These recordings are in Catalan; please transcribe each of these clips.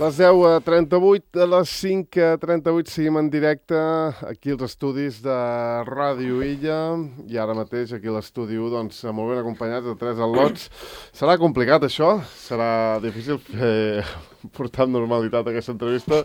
Les 10:38, a les 5:38 seguim en directe aquí als estudis de Ràdio Illa i ara mateix aquí a l'estudi 1, doncs, molt ben acompanyats de 3 al·lots. Serà complicat això, serà difícil portar amb normalitat aquesta entrevista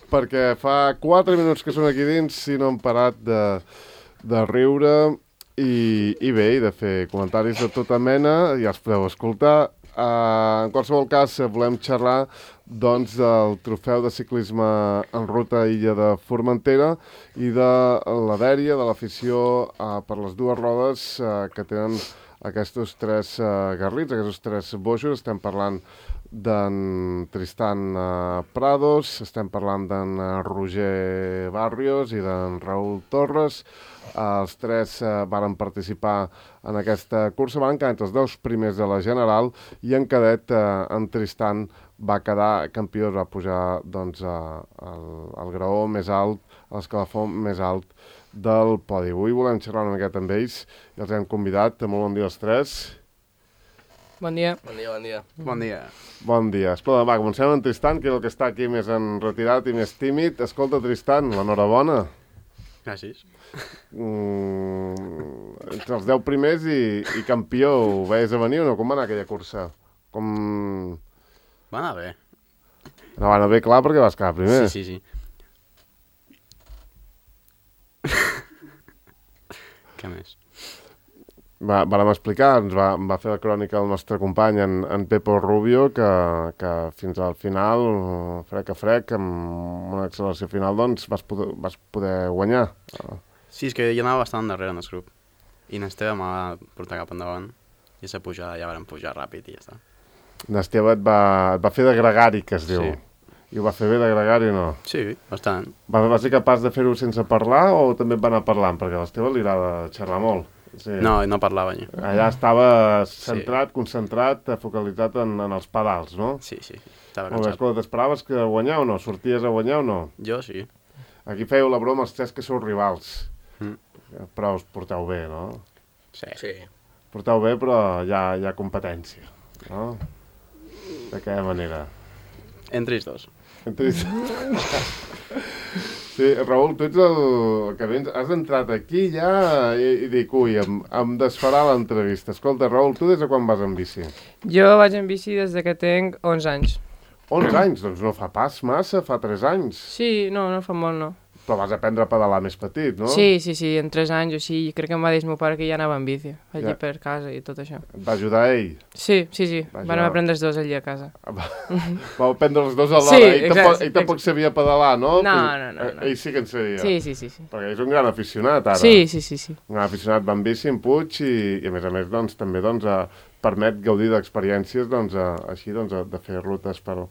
perquè fa 4 minuts que són aquí dins i no han parat de riure i bé, i de fer comentaris de tota mena, ja els podeu escoltar. En qualsevol cas, volem xerrar doncs, del trofeu de ciclisme en ruta a Illa de Formentera i de la dèria, de l'afició per les dues rodes que tenen aquests 3 garrits, aquests 3 boixos. Estem parlant d'en Tristan Prados, estem parlant d'en Roger Barrios i d'en Raúl Torres. Els 3 varen participar en aquesta cursa, van quedar entre els 10 primers de la general i en cadet en Tristan va quedar campió, va pujar doncs, al graó més alt, a l'escalafó més alt del podi. Avui volem xerrar una miqueta amb ells i els hem convidat. Molt bon dia als 3. Bon dia. Bon dia, bon dia. Bon dia. Bon dia. Escolta, va, comencem amb Tristan, que és el que està aquí més enretirat i més tímid. Escolta, Tristan, l'enhorabona. Gràcies. Entre els 10 primers i campió, ho veies a venir o no? Com va anar aquella cursa? Va anar bé. No va anar bé, clar, perquè vas quedar primer. Sí. Què més? Vàrem explicar, ens va fer la crònica el nostre company, en Pepo Rubio, que fins al final, frec a frec, amb una acceleració final, doncs vas poder guanyar. Sí, és que jo anava bastant darrere en el grup. I n'Esteve m'ha portat cap endavant. I aquesta pujada ja vam pujar ràpid i ja està. N'Esteve et va fer de gregari, que es diu. Sí. I ho va fer bé de gregari o no? Sí, bastant. Va ser capaç de fer-ho sense parlar o també et va anar parlant? Perquè a l'Esteve li agrada xerrar molt. Sí. No parlava jo. Allà estava centrat, concentrat, focalitzat en els pedals, no? Sí. Estava Molt bé, cansat. escolta, t'esperaves que guanyar o no? Sorties a guanyar o no? Jo sí. Aquí fèieu la broma els 3 que sou rivals. Però us porteu bé, no? Sí. Porteu bé, però hi ha competència, no? De quina manera? Entre ells dos. Sí, Raül, tu ets el que vens, has entrat aquí ja i dic, ui, em desfarà l'entrevista. Escolta, Raül, tu des de quan vas en bici? Jo vaig en bici des de que tinc 11 anys. 11 anys? Doncs no fa pas massa, fa 3 anys. Sí, no fa molt, no. Però vas aprendre a pedalar més petit, no? Sí, en 3 anys o així, crec que em va dir el meu pare que ja anava en bici, allí Ja. per casa i tot això. Et va ajudar ell? Sí, Va van ajudar. aprendre els dos allí a casa. Vau aprendre els dos alhora. Sí, Ell tampoc sabia pedalar, no? No. Ell sí que en sabia. Sí. Perquè és un gran aficionat, ara. Sí. Un gran aficionat va en bici, en Puig, i a més, doncs, també doncs, permet gaudir d'experiències doncs, així doncs, de fer rutes per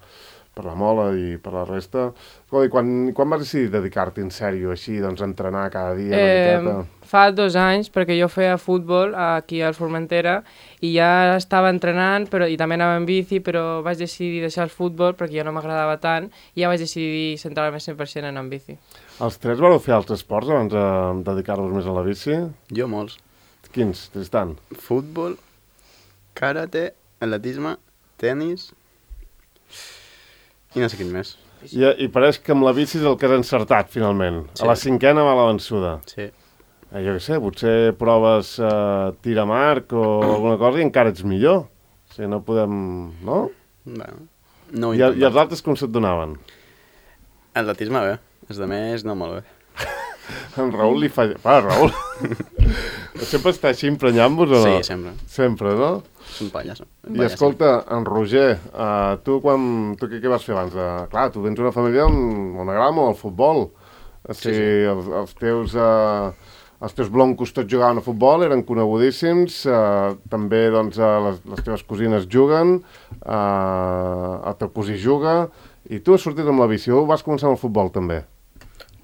la Mola i per la resta. I quan vas decidir dedicar-te en sèrio, així, doncs, a entrenar cada dia una miqueta? Fa 2 anys, perquè jo feia futbol aquí al Formentera i ja estava entrenant i també anava en bici, però vaig decidir deixar el futbol perquè ja no m'agradava tant i ja vaig decidir centrar-me 100% en bici. Els 3 vareu fer altres esports abans de dedicar-vos més a la bici? Jo molts. Quins, Tristan? Futbol, karate, atletisme, tenis i no sé quin més. I pareix que amb la bici és el que has encertat, finalment. Sí. A la 5a va la vençuda. Sí. Jo què sé, potser proves tir a marc o alguna cosa i encara ets millor. O sigui, no podem... No? Bueno, no ho I els intentat. altres com se't donaven? Atletisme bé, els de més no molt bé. En Raül li fa... Raül... Sempre està així emprenyant-vos o no? Sí, sempre. Sempre, no? És un pallasso. I escolta, en Roger, tu què vas fer abans? Clar, tu vens d'una família on agrada molt el futbol. O sigui, els teus bloncos tots jugaven a futbol, eren conegudíssims, també doncs, les teves cosines juguen, el teu cosí juga, i tu has sortit amb la bici, o vas començar amb el futbol també?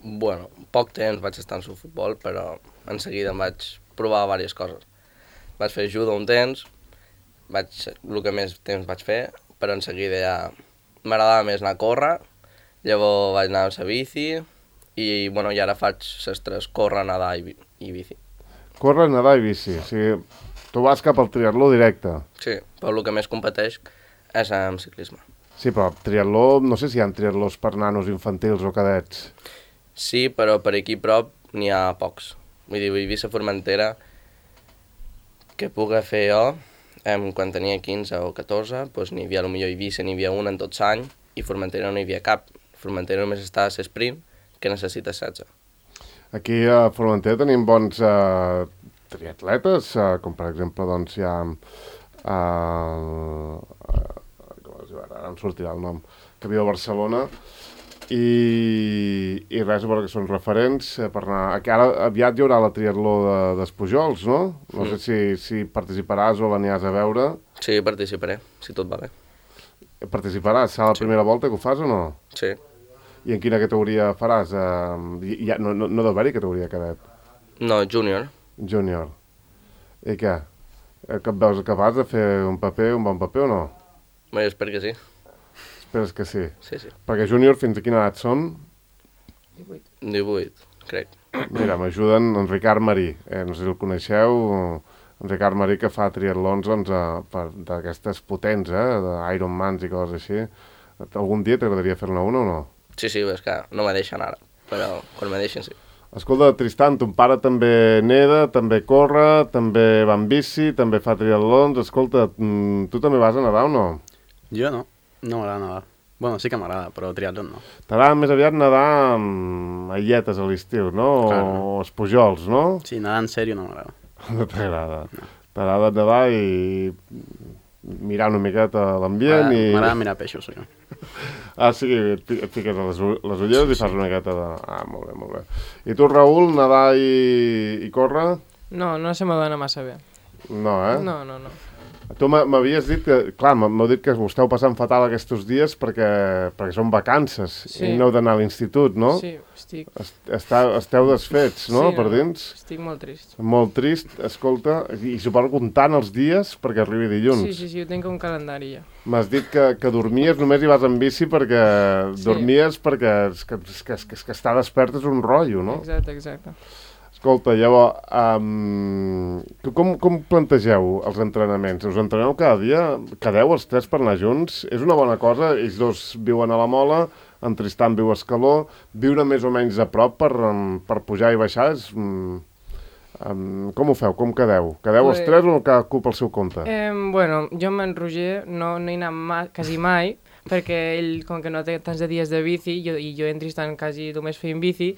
Bueno, poc temps vaig estar en el futbol, però en seguida em vaig provar diverses coses. Vaig fer judo un temps, el que més temps vaig fer, però en seguida ja m'agradava més anar a córrer, llavors vaig anar amb la bici i ara faig les 3, córrer, nedar i bici. Córrer, nedar i bici, o sigui, tu vas cap al triatló directe. Sí, però el que més competeix és amb ciclisme. Sí, però triatló, no sé si hi ha triatlós per nanos infantils o cadets. Sí, però per aquí prop n'hi ha pocs. Vull dir, Eivissa Formentera, que puc fer jo, quan tenia 15 o 14, doncs n'hi havia, potser Eivissa n'hi havia una en tot l'any, i Formentera no hi havia cap. Formentera només està a l'esprint, que necessita 16. Aquí a Formentera tenim bons triatletes, com per exemple, doncs hi ha... ara em sortirà el nom, que viu a Barcelona, i res, a veure que són referents per anar... Ara aviat hi haurà la triatló d'Espujols, no? No sé si participaràs o l'aniràs a veure. Sí, participaré, si tot va bé. Participaràs? Serà la primera volta que ho fas o no? Sí. I en quina categoria faràs? No deu haver-hi categoria cadet. No, júnior. Júnior. I què? Que et veus capaç de fer un bon paper o no? Bé, jo espero que sí. Esperes que sí? Sí, sí. Perquè júnior fins a quina edat són? 18, crec. Mira, m'ajuden en Ricard Marí. No sé si el coneixeu, en Ricard Marí, que fa triatlons d'aquestes potents, d'Ironmans i coses així. Algun dia t'agradaria fer-ne una o no? Sí, és que no me deixen ara, però quan me deixen sí. Escolta, Tristan, ton pare també neda, també corre, també va en bici, també fa triatlons. Escolta, tu també vas a nedar o no? Jo no m'agrada nedar. Bueno, sí que m'agrada, però triatlon no. T'agrada més aviat nedar amb ailletes a l'estiu, no? Claro. O espujols, no? Sí, nedar en sèrio no m'agrada. No t'agrada. No. T'agrada nedar i mirar una miqueta l'ambient i... M'agrada mirar peixos, jo. Ah, sí, et fiques a les ulleres i fas una miqueta de... Ah, molt bé, molt bé. I tu, Raül, nedar i córrer? No se m'adona massa bé. No, eh? No. Tu m'havies dit que, clar, m'heu dit que ho esteu passant fatal aquests dies perquè són vacances i no heu d'anar a l'institut, no? Sí, estic... Esteu desfets, no, sí, per dins? Estic molt trist. Molt trist, escolta, i suposo comptant els dies perquè arribi dilluns. Sí, ho tinc un calendari ja. M'has dit que dormies, només hi vas en bici perquè dormies perquè és que estar despert és un rotllo, no? Exacte. Escolta, llavors, com plantegeu els entrenaments? Us entreneu cada dia? Quedeu els tres per anar junts? És una bona cosa? Ells dos viuen a la Mola, en Tristan viu a Escaló, viure més o menys a prop per pujar i baixar és... com ho feu? Com quedeu? Quedeu els tres o cadascú pel seu compte? Bueno, jo amb en Roger no hi he anat quasi mai, perquè ell, com que no té tants de dies de bici, i jo i en Tristan quasi només feim bici,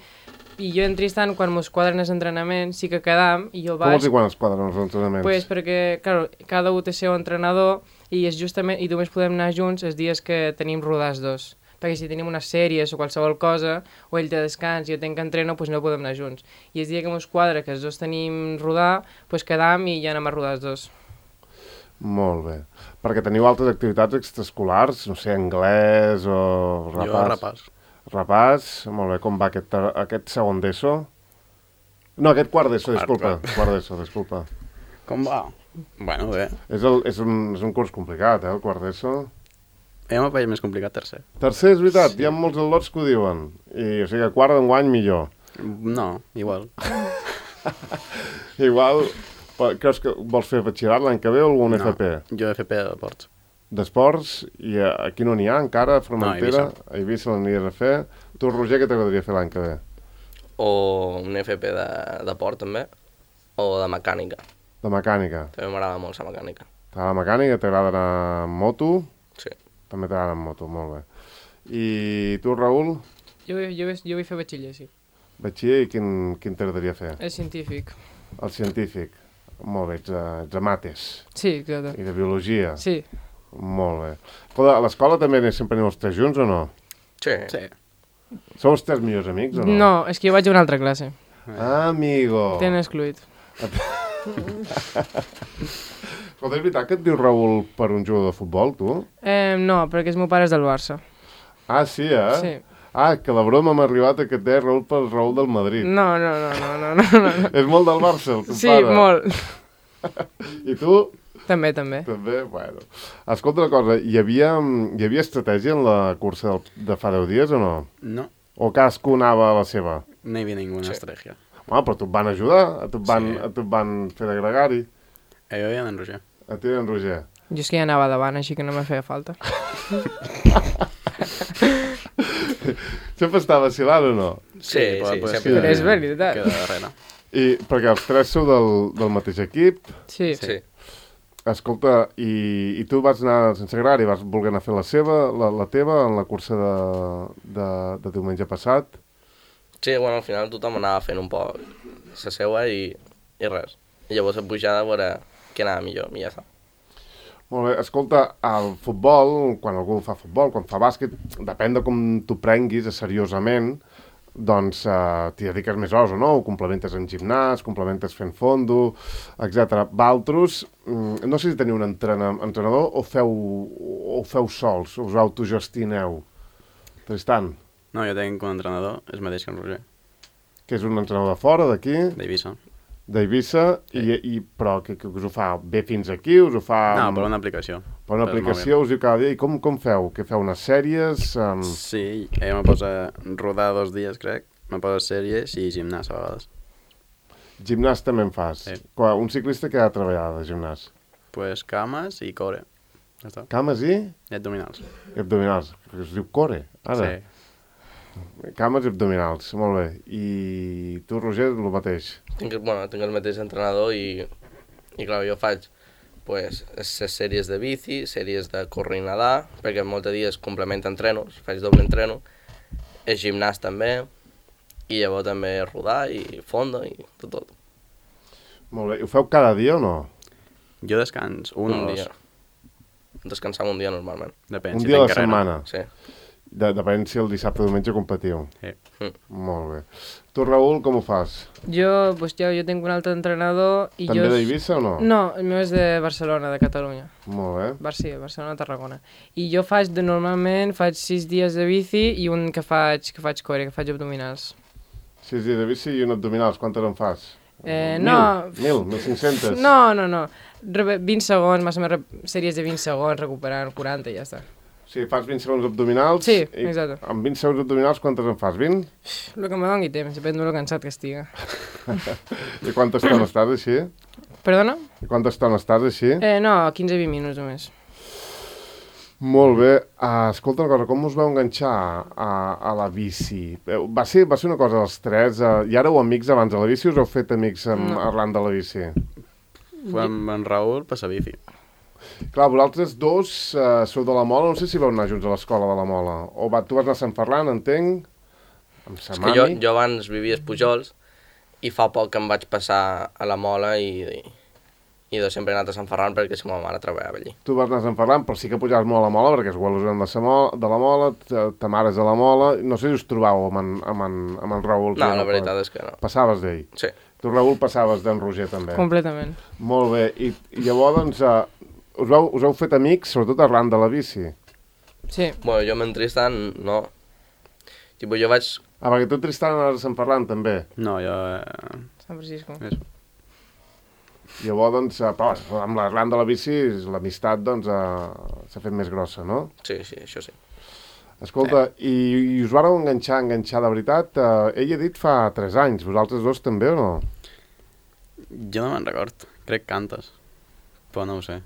i jo i en Tristan, quan mos quadren els entrenaments, sí que quedam, i jo vaig... Com vols dir quan es quadren els entrenaments? Pues perquè, clar, cada un té seu entrenador, i només podem anar junts els dies que tenim rodats dos. Perquè si tenim unes sèries o qualsevol cosa, o ell té descans i jo tenc entreno, doncs no podem anar junts. I el dia que mos quadra, que els dos tenim rodar, doncs quedam i ja anem a rodar els dos. Molt bé. Perquè teniu altres activitats extraescolars, no sé, anglès o repàs? Jo repàs. Repàs, molt bé. Com va aquest segon d'ESO? No, aquest quart d'ESO, disculpa. Quart d'ESO, disculpa. Com va? Bueno, bé. És un curs complicat, el quart d'ESO. Jo m'ho veia més complicat tercer. Tercer, és veritat, sí. Hi ha molts al·lots que ho diuen. O sigui que quart d'enguany millor. No, igual. Igual, creus que vols fer batxillerat l'any que ve o algun FP? Jo FP d'esports. D'esports, i aquí no n'hi ha encara, a Formentera, a Eivissa l'aniries a fer. Tu, Roger, què t'agradaria fer l'any que ve? O un FP de port, també, o de mecànica. De mecànica. També m'agrada molt la mecànica. T'agrada la mecànica? T'agrada anar en moto? Sí. També t'agrada en moto, molt bé. I tu, Raül? Jo vull fer batxiller, sí. Batxiller, i quin t'agradaria fer? El científic. El científic. Molt bé, ets a mates. Sí, exacte. I de biologia. Sí. Molt bé. Escolta, a l'escola també sempre aneu els tres junts o no? Sí. Sou els tres millors amics o no? No, és que jo vaig a una altra classe. Amigo! T'han excluït. Escolta, és veritat que et diu Raül per un jugador de futbol, tu? No, perquè el meu pare és del Barça. Ah, sí, eh? Sí. Ah, que la broma m'ha arribat que et deia Raül pel Raül del Madrid. No. És molt del Barça, el teu pare? Sí, molt. I tu? També. També? Bueno. Escolta una cosa, hi havia estratègia en la cursa de fa 10 dies o no? No. O cadascú anava a la seva? No hi havia ninguna estratègia. Home, però tu et van ajudar, tu et van fer de gregari. Jo i en Roger. A tu i en Roger. Jo és que ja anava davant, així que no me feia falta. Sempre està vacilant o no? Sí, pues, sempre. Però és veritat. Queda darrere. I perquè els tres sou del mateix equip, Sí. Sí. escolta, i tu vas anar sense agrar i vas voler anar a fer la teva en la cursa de diumenge passat. Sí, bueno, al final tothom anava fent un poc la seua i res. I llavors a pujada a veure què anava millor, i ja està. Molt bé, escolta, el futbol, quan algú fa futbol, quan fa bàsquet, depèn de com t'ho prenguis seriosament, doncs t'hi dediques més hores o no, ho complementes en gimnàs, complementes fent fondo, etc. Valtros, no sé si teniu un entrenador o feu sols, us autogestioneu. Tristan, No, jo tinc un entrenador, és mateix que en Roger, que és un entrenador de fora, d'aquí, d'Eivissa. d'Eivissa, però que us ho fa bé fins aquí, us ho fa... No, per una aplicació. Per una per aplicació, us diu cada dia, i com feu? Què feu, unes sèries? Sí, ella me posa rodar 2 dies, crec, me posa sèries i gimnàs a vegades. Gimnàs també en fas? Sí. Un ciclista que ha de treballar de gimnàs? Pues cames i core. Ja està. Cames i Abdominals. abdominals. Perquè es diu core, ara. Sí. Cames i abdominals, molt bé. I tu, Roger, el mateix. Tinc el mateix entrenador i clar, jo faig pues, les sèries de bici, sèries de córrer i nedar, perquè molts dies complementa entrenos, faig doble entreno, el gimnàs també, i llavors també rodar i fondo i tot. Molt bé. I ho feu cada dia o no? Jo descans un o dos. dia. Descansam un dia normalment. Depèn, Un si dia a la tinc carrera. setmana. Sí. Depèn si el dissabte o diumenge competiu. Sí. Molt bé. Tu, Raül, com ho fas? Jo tinc un altre entrenador i També jo... d'Eivissa o no? No, el meu és de Barcelona, de Catalunya. Molt bé. Sí, Barcelona, Tarragona. I jo normalment faig 6 dies de bici i un que faig core, que faig abdominals. 6 dies de bici i un abdominals. Quantes en fas? No. 1.500? No. 20 segons, més o menys sèries de 20 segons, recuperant 40 i ja està. Sí, fas 20 segons abdominals. Sí, i exacte. Amb 20 segons abdominals, quantes en fas? 20? El que me doni temps, depèn de lo cansat que estigui. I quanta estona estàs així? Perdona? I quanta estona estàs així? No, 15-20 minuts només. Molt bé. Escolta una cosa, com us vau enganxar a la bici? Va ser una cosa dels tres, i ara heu amics abans de la bici, us heu fet amics arran de la bici? Amb en Raül passa bici. Clar, vosaltres dos sou de la Mola, no sé si vau anar junts a l'escola de la Mola. Tu vas anar a Sant Ferran, entenc, amb sa És mami. que jo abans vivia a Pujols i fa poc que em vaig passar a la Mola i sempre he anat a Sant Ferran perquè si ma mare treballava allí. Tu vas anar a Sant Ferran, però sí que pujaves molt a la Mola, perquè els abuelos eren de la Mola, ta mare és de la Mola. No sé si us trobàveu amb en Raül. No, la veritat és que no. Passaves d'ell. Sí. Tu, Raül, passaves d'en Roger, també. Completament. Molt bé. I llavors, doncs, us heu fet amics, sobretot arran de la bici. Sí. Bueno, jo amb en Tristan, no. Tipo, jo vaig... Perquè tu, Tristan, anaves a Sant Ferran, també. No, jo... Sant Francisco. Eso. Llavors, doncs, però amb l'arran de la bici, l'amistat, doncs, s'ha fet més grossa, no? Sí, això sí. Escolta, i us vareu enganxar de veritat? Ell ha dit fa 3 anys, vosaltres dos també o no? Jo no me'n record. Crec que cantes. Però no ho sé.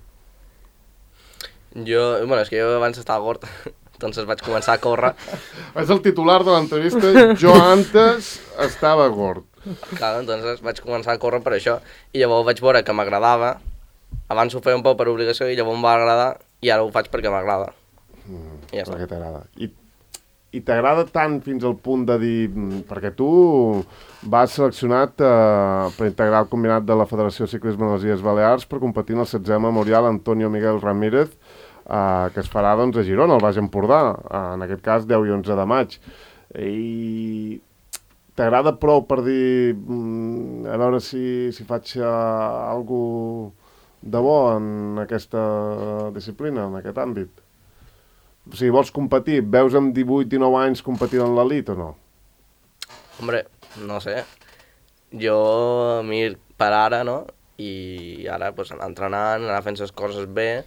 És que jo abans estava gord, doncs vaig començar a córrer. És el titular de l'entrevista, jo antes estava gord. Clar, doncs vaig començar a córrer per això. I llavors vaig veure que m'agradava. Abans ho feia un poc per obligació i llavors em va agradar i ara ho faig perquè m'agrada. I ja està. Perquè t'agrada. I t'agrada tant fins al punt de dir... Perquè tu vas seleccionat per integrar el combinat de la Federació de Ciclisme de les Illes Balears per competir en el 16è Memorial Antonio Miguel Ramírez, que es farà doncs, a Girona, al Baix Empordà, en aquest cas 10 i 11 de maig. I t'agrada prou per dir a veure si faig alguna de bo en aquesta disciplina, en aquest àmbit? O sigui, vols competir? Veus amb 18, 19 anys competint en l'elit o no? Hombre, no sé. Jo, a mi, per ara, no? I ara, pues, anar entrenant, anar fent les coses bé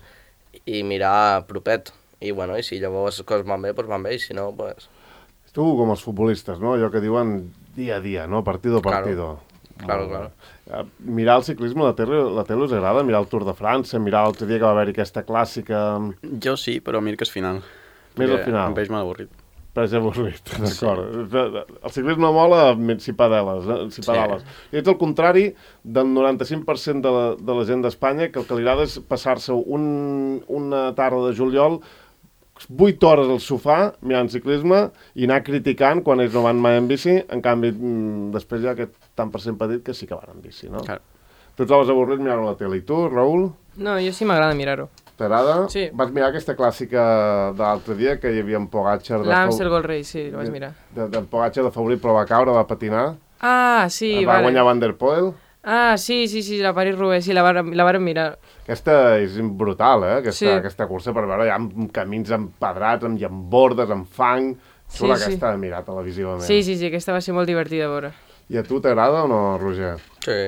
i mirar propet. I, bueno, i si llavors les coses van bé, doncs van bé, i si no, pues... Tu, com els futbolistes, no? Allò que diuen dia a dia, no? Partido a partido. Claro. Claro. Mirar el ciclisme, la tele us agrada? Mirar el Tour de França, mirar l'altre dia que va haver-hi aquesta clàssica... Jo sí, però mir que és final. Més al final. Em veig mal avorrit. Però és avorrit, d'acord. El ciclisme mola si pedales. I ets el contrari del 95% de la gent d'Espanya, que el que li agrada és passar-se una tarda de juliol 8 hores al sofà mirant ciclisme i anar criticant quan ells no van mai en bici. En canvi, després hi ha aquest tant per cent petit que sí que van en bici, no? Clar. Tu et trobes avorrit mirant la tele. I tu, Raül? No, jo sí m'agrada mirar-ho. T'agrada? Sí. Vas mirar aquesta clàssica de l'altre dia, que hi havia en Pogacar... L'Amstel Gold Race, sí, ho vaig mirar. En Pogacar de favorit, però va caure, va patinar. Ah, sí, Va guanyar Van der Poel. Ah, sí, la París-Roubaix, sí, la vàrem mirar. Aquesta és brutal, aquesta cursa, per veure, hi ha camins empedrats, amb llambordes, amb fang... Xula aquesta de mirar televisivament. Sí, aquesta va ser molt divertida a veure. I a tu t'agrada o no, Roger? Sí,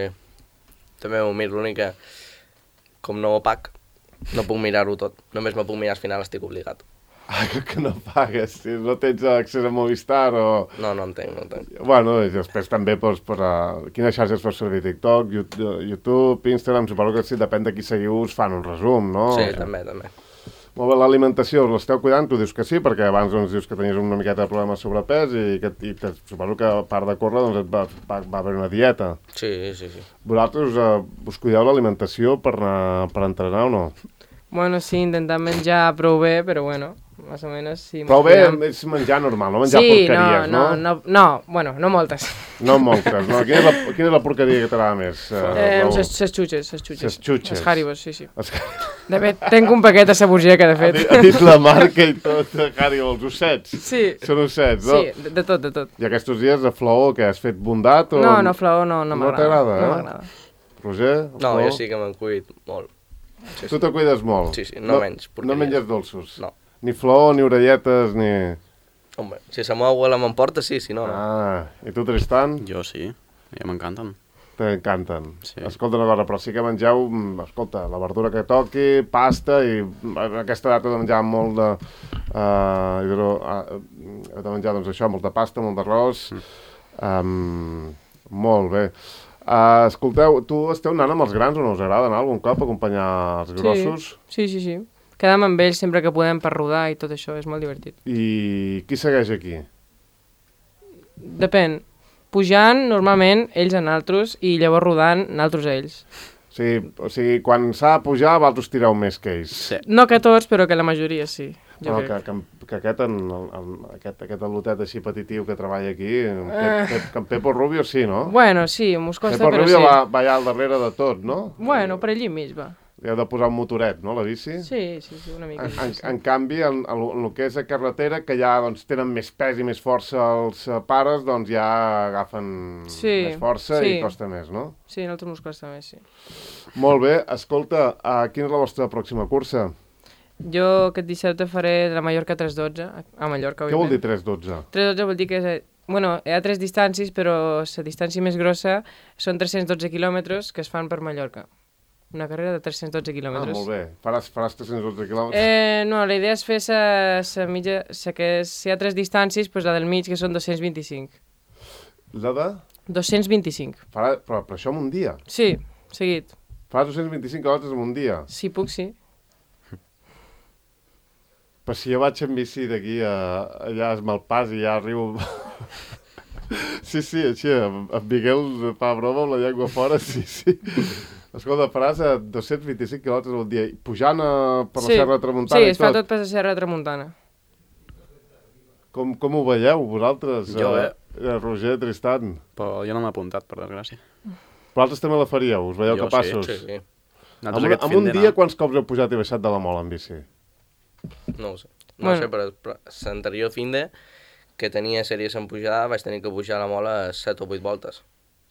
també ho miro, l'únic que, com no ho pac, no puc mirar-ho tot. Només me puc mirar al final, estic obligat. Ah, que no pagues, si no tens accés a Movistar o... No entenc. Bueno, i després també quines xarxes fos servir? TikTok, YouTube, Instagram, suposo que sí, depèn de qui seguiu, us fan un resum, no? Sí, també. Molt bé, l'alimentació, us l'esteu cuidant? Tu dius que sí, perquè abans dius que tenies una miqueta de problemes de sobrepès i suposo que a part de córrer va haver una dieta. Sí. Vosaltres us cuideu l'alimentació per entrenar o no? Bueno, sí, intentant menjar prou bé, però bueno, més o menys sí. Prou bé és menjar normal, no menjar porqueries, no? No, bueno, no moltes. No moltes, no? Quina és la porqueria que t'agrada més? Ses xutxes. Ses xutxes. Els Haribos, sí. De fet, tenc un paquet a Saburgeca, de fet. Ha dit la marca i tot, Haribo, els ossets. Sí. Són ossets, no? Sí, de tot. I aquests dies de Flaó, que has fet bondat? O... No, Flaó no m'agrada. No t'agrada, No m'agrada. Roger? No, jo sí que me'n cuido molt. Sí. Tu te cuides molt? Sí, no menys porqueries. No menges dolços? No. Ni flor, ni orelletes, ni... Home, si la meva abuela m'emporta, sí, si no, no. Ah, i tu, Tristan? Jo sí, ja m'encanten. T'encanten. Sí. Escolta una cosa, però sí que mengeu, escolta, la verdura que toqui, pasta, i en aquesta data de menjar molt de... de menjar, doncs això, molta pasta, molt d'arròs... Molt bé. Escolteu, tu esteu anant amb els grans o no us agrada anar algun cop a acompanyar els grossos? Sí. Quedem amb ells sempre que podem per rodar i tot això, és molt divertit. I qui segueix aquí? Depèn. Pujant, normalment, ells a naltros, i llavors rodant, naltros a ells. O sigui, quan s'ha de pujar, vosaltres tireu més que ells. Sí. No que tots, però que la majoria sí. Que aquest al·lotet així petitiu que treballa aquí, que en Pepo Rubio sí, no? Bueno, sí, mos costa, Pepo però Rubio sí. va allà al darrere de tot, no? Bueno, per allí mig va. Li heu de posar un motoret, no, la bici? Sí, una mica. En canvi, en el que és a carretera, que ja doncs, tenen més pes i més força els pares, doncs ja agafen més força i costa més, no? Sí, a nosaltres mos costa més, sí. Molt bé. Escolta, quina és la vostra pròxima cursa? Jo aquest dissabte faré la Mallorca 312, a Mallorca. Què vol dir 312? 312 vol dir que bueno, hi ha 3 distàncies, però la distància més grossa són 312 quilòmetres que es fan per Mallorca. Una carrera de 312 quilòmetres. Ah, molt bé. Faràs 312 quilòmetres? No, la idea és fer la mitja... Si hi ha 3 distàncies, doncs la del mig, que són 225. La de? 225. Però això en un dia? Sí, seguit. Faràs 225 quilòmetres en un dia? Si puc, sí. Però si jo vaig en bici d'aquí allà a Malpàs i ja arribo... Sí, així, en Miguel fa broma amb la llengua fora, sí. Escolta, faràs 225 quilòmetres al dia, pujant per la Serra de Tramuntana i tot? Sí, es fa tot per la Serra de Tramuntana. Com ho veieu, vosaltres? Jo, Roger, Tristan. Però jo no m'he apuntat, per desgràcia. Vosaltres també la faríeu? Us veieu capaços? Sí. En un dia, quants cops heu pujat i baixat de la mola en bici? No ho sé. No sé, però l'anterior fin de que tenia sèries en pujada, vaig tenir que pujar la mola 7 o 8 voltes.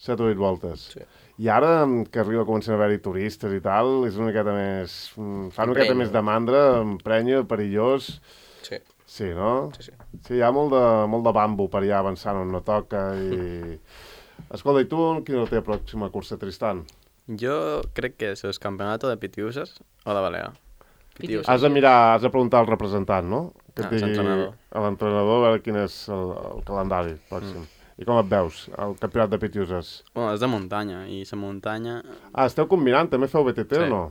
7 o 8 voltes. Sí. I ara que comencen a haver-hi turistes i tal, és una miqueta més... Fa una miqueta més de mandra, emprenya, perillós... Sí. Sí, no? Sí. Sí, hi ha molt de bambu per allà avançant on no toca i... Escolta, i tu, quina és la teva pròxima cursa, Tristan? Jo crec que és el campionat de Pitiuses o de Balea. Pitiuses. Has de preguntar al representant, no? Que et digui l'entrenador. a l'entrenador a veure quin és el calendari pròxim. I com et veus, el campionat de Pitiuses? Bueno, és de muntanya, i la muntanya... Ah, esteu combinant, també feu BTT Sí. o no?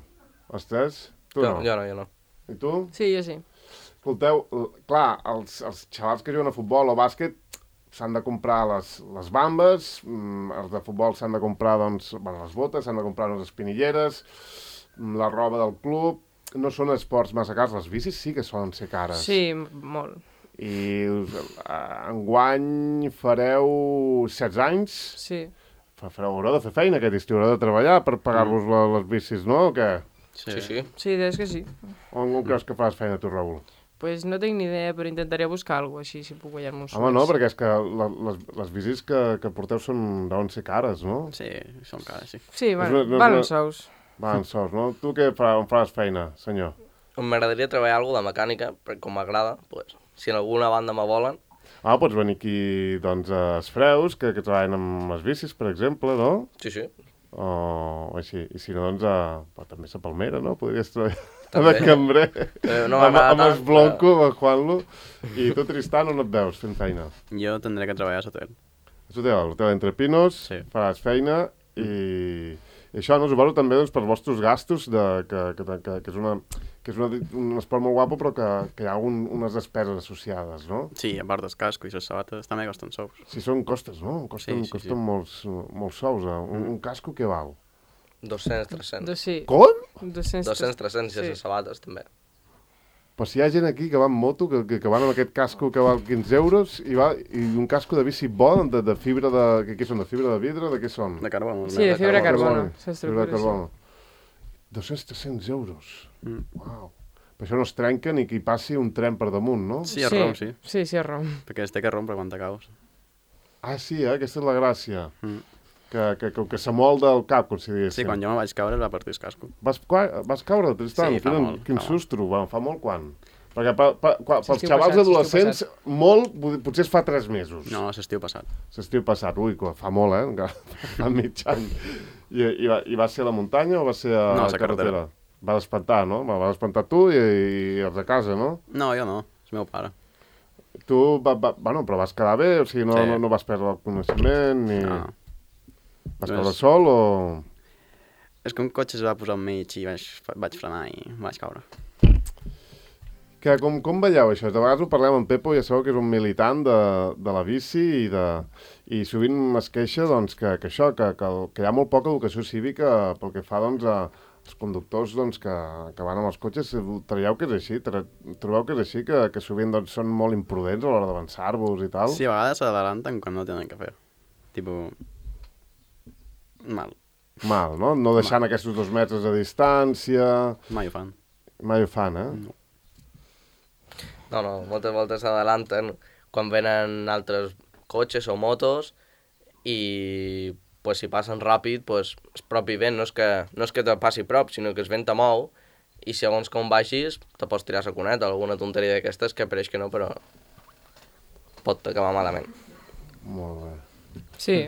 Els tres? Tu no? Jo no. I tu? Sí, jo sí. Escolteu, clar, els xavals que juguen a futbol o bàsquet s'han de comprar les bambes, els de futbol s'han de comprar, doncs, bueno, les botes, s'han de comprar les espinilleres, la roba del club. No són esports massa cars, les bicis sí que solen ser cares. Sí, molt. I enguany fareu 16 anys, Sí. haureu de fer feina aquest estiu, haureu de treballar per pagar-vos les bicis, no? O què? Sí. Sí, és que sí. On creus que faràs feina tu, Raül? Pues no tinc ni idea, però intentaré buscar alguna cosa així, si puc guanyar-me uns Home, no, perquè és que les bicis que porteu deuen ser cares, no? Sí, són cares, sí. Sí, bueno, no és valen una- sous. Van sols, no? Tu què on faràs feina, senyor? M'agradaria treballar alguna de mecànica, perquè com m'agrada, pues, si en alguna banda me volen, Ah, pots venir aquí, doncs, a Esfreus, que treballen amb les bicis, per exemple, no? sí. O així. I si no, doncs, també a Palmera, no? Podries treballar També. de cambrer. No amb m'agrada el tant, Blanco, amb el Juanlo. I tu, Tristan, on et veus fent feina? Jo tindré que treballar a l'hotel. A l'hotel Entre Pinos, Sí. faràs feina i això, no, suposo també doncs, per vostres gastos, que és un esport molt guapo, però que hi ha unes despeses associades, no? Sí, a part del casco i les sabates també costen sous. Si són costes, no? Costen Sí. molts sous. Un casco què val? 200, 300. Sí. Com? 200, 200, 300 i sí. les sabates també. Però si hi ha gent aquí que va amb moto, que van amb aquest casco que val 15 euros i un casco de bici bo, de fibra de... Què són? De fibra de vidre? De què són? De carbó. Sí, de fibra de carbono. Fibra de carbono. 200-300 euros. Uau. Per això no es trenca ni que hi passi un tren per damunt, no? Sí, a Rom, sí. Sí, a Rom. Perquè es té que rompre quan t'acaus. Ah, sí, aquesta és la gràcia. Que s'amolda el cap, com si diguéssim. Sí, quan jo me vaig caure es va partir el casco. Vas caure, Tristan? Sí, fa molt, Quin fa molt. sustro, fa molt quan? Perquè pels L'estiu xavals passat, adolescents, l'estiu molt, potser es fa 3 mesos. No, l'estiu passat. L'estiu passat, ui, fa molt, encara fa mig any. I va ser a la muntanya o va ser a No, a la la carretera. Va espantar, no? Va espantar tu i els de casa, no? No, jo no, és el meu pare. Tu, bueno, però vas quedar bé, o sigui, no, Sí. no vas perdre el coneixement, ni... No. Vas caure sol o... És que un cotxe es va posar al mig i vaig frenar i vaig caure. Com veieu això? De vegades ho parlem amb Pepo, ja sabeu que és un militant de la bici i sovint es queixa doncs, que hi ha molt poca educació cívica pel que fa doncs, als conductors doncs, que van amb els cotxes. Trobeu que és així? Trobeu que és així? Que sovint doncs, són molt imprudents a l'hora d'avançar-vos i tal? Sí, a vegades s'adelanten quan no tenen que fer. Tipo... Mal. Mal, no? No deixant aquests 2 metres de distància... Mai ho fan. Mai ho fan, eh? No. No, moltes voltes s'adelanten quan venen altres cotxes o motos i pues, si passen ràpid, pues, el propi vent no és que te passi prop, sinó que el vent te mou i segons com vagis te pots tirar la cuneta o alguna tonteria d'aquestes que pareix que no, però pot acabar malament. Molt bé. Sí,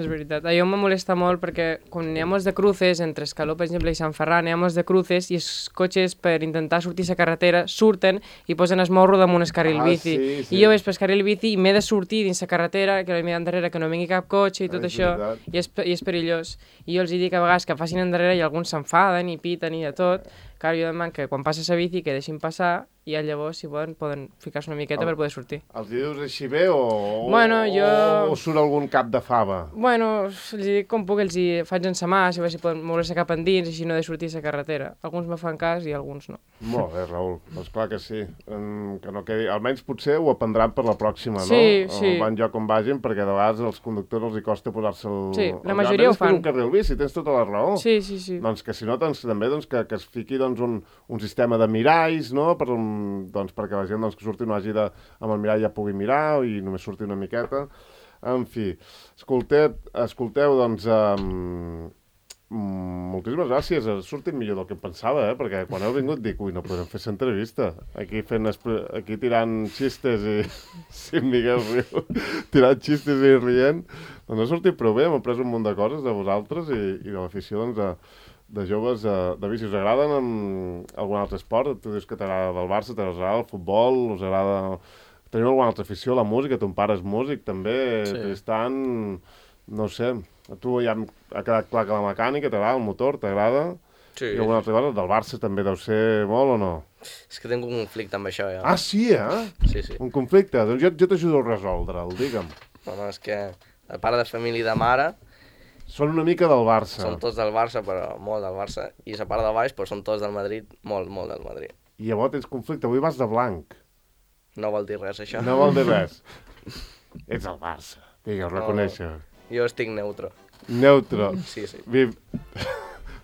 és veritat. A mi em molesta molt perquè quan n'hi ha molts de cruces, entre Escaló, per exemple, i Sant Ferran, n'hi ha molts de cruces i els cotxes, per intentar sortir a la carretera, surten i posen el morro damunt el carril bici. Sí. I jo veig pel carril bici i m'he de sortir dins la carretera, que m'he d'endarrere, que no vingui cap cotxe i tot És això, veritat. i és perillós. I jo els dic a vegades que facin endarrere i alguns s'enfaden i piten i de tot. Clar, jo demano que quan passa la bici que deixin passar i llavors, si poden ficar-se una miqueta per poder sortir. Els dius així bé o Bueno, o surt algun cap de fava? Bueno, els dic com puc, els hi faig en sa mà, si a veure si poden moure-se cap endins, així no de sortir a la carretera. Alguns me fan cas i alguns no. Molt bé, Raül. Doncs clar que sí. Que no quedi... Almenys potser ho aprendran per la pròxima, no? Sí, sí. Van lloc on vagin, perquè de vegades als conductors els hi costa posar-se el... Sí, la el majoria ho és que és fan. un carril bici, tens tota la raó. Sí. Doncs que si no, doncs, també doncs, que es fiqui doncs, un sistema de miralls, no? Doncs, perquè la gent doncs, que surti no hagi de... amb el mirall ja pugui mirar i només surti una miqueta. En fi, escolteu doncs, moltíssimes gràcies. Ha sortit millor del que em pensava, perquè quan heu vingut dic, ui, no podem fer l'entrevista. Aquí tirant xistes i... Sí, Miguel riu. Tirant xistes i rient. Doncs ha sortit prou bé, hem après un munt de coses de vosaltres i de l'afició doncs, de joves de bici. Us agraden algun altre esport? Tu dius que t'agrada el Barça, t'agrada el futbol, us agrada Teniu alguna altra afició a la música? Ton pare és músic, també. Sí. Tristan, no sé, a tu ja ha quedat clar que la mecànica t'agrada, el motor t'agrada? Sí. I alguna altra cosa? Del Barça també deu ser molt o no? És que tinc un conflicte amb això, ja. Ah, sí, Sí, sí. Un conflicte? Doncs jo t'ajudo a resoldre'l, digue'm. No, és que a part de família i de mare, Són una mica del Barça. són tots del Barça, però molt del Barça. I la part de baix, però són tots del Madrid, molt, molt del Madrid. I llavors tens conflicte. Avui vas de blanc. No vol dir res, això. No vol dir res. Ets el Barça. Vinga, ho reconeixo. Jo estic neutro. Neutro. Sí, sí.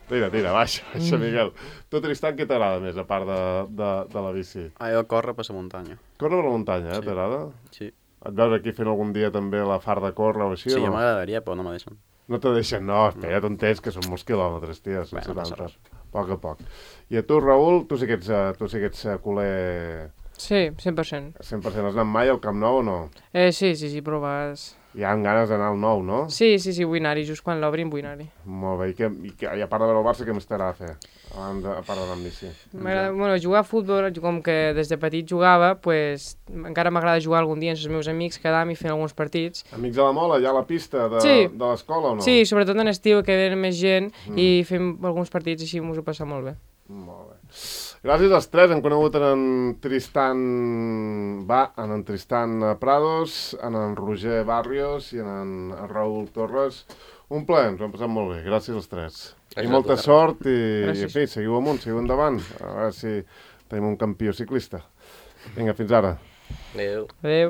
Tira, baixa, Miguel. Tu, Tristan, què t'agrada més, a part de la bici? Jo corro per la muntanya. Córrer per la muntanya, Sí. t'agrada? Sí. Et veus aquí fent algun dia també la far de córrer o així? Sí, o ja no? m'agradaria, però no me deixen. No te deixen, no, espera't un temps, que són molts quilòmetres, tia, són Bueno, no passa 70. A poc a poc. I a tu, Raül, tu sí que ets culer Sí, 100%. 100%. Has anat mai al Camp Nou o no? Sí, però vas... Hi ha ganes d'anar al Nou, no? Sí, vull anar-hi, just quan l'obrin vull anar-hi. Molt bé, i a part de veure el Barça, què més t'agrada fer? A part d'anar amb bici. M'agrada, bueno, jugar a futbol, com que des de petit jugava, pues, encara m'agrada jugar algun dia amb els meus amics, quedar-me i fer alguns partits. Amics a la Mola, allà a la pista de l'escola o no? Sí, sobretot en estiu, que venen més gent i fem alguns partits així, m'ho he passat molt bé. Molt bé. Gràcies als tres, hem conegut en Tristan Prados, en Roger Barrios i en Raül Torres. Un plaer, ens ho hem passat molt bé. Gràcies als tres. I molta sort i en fi, seguiu amunt, seguiu endavant. A veure si tenim un campió ciclista. Vinga, fins ara. Adéu. Adéu.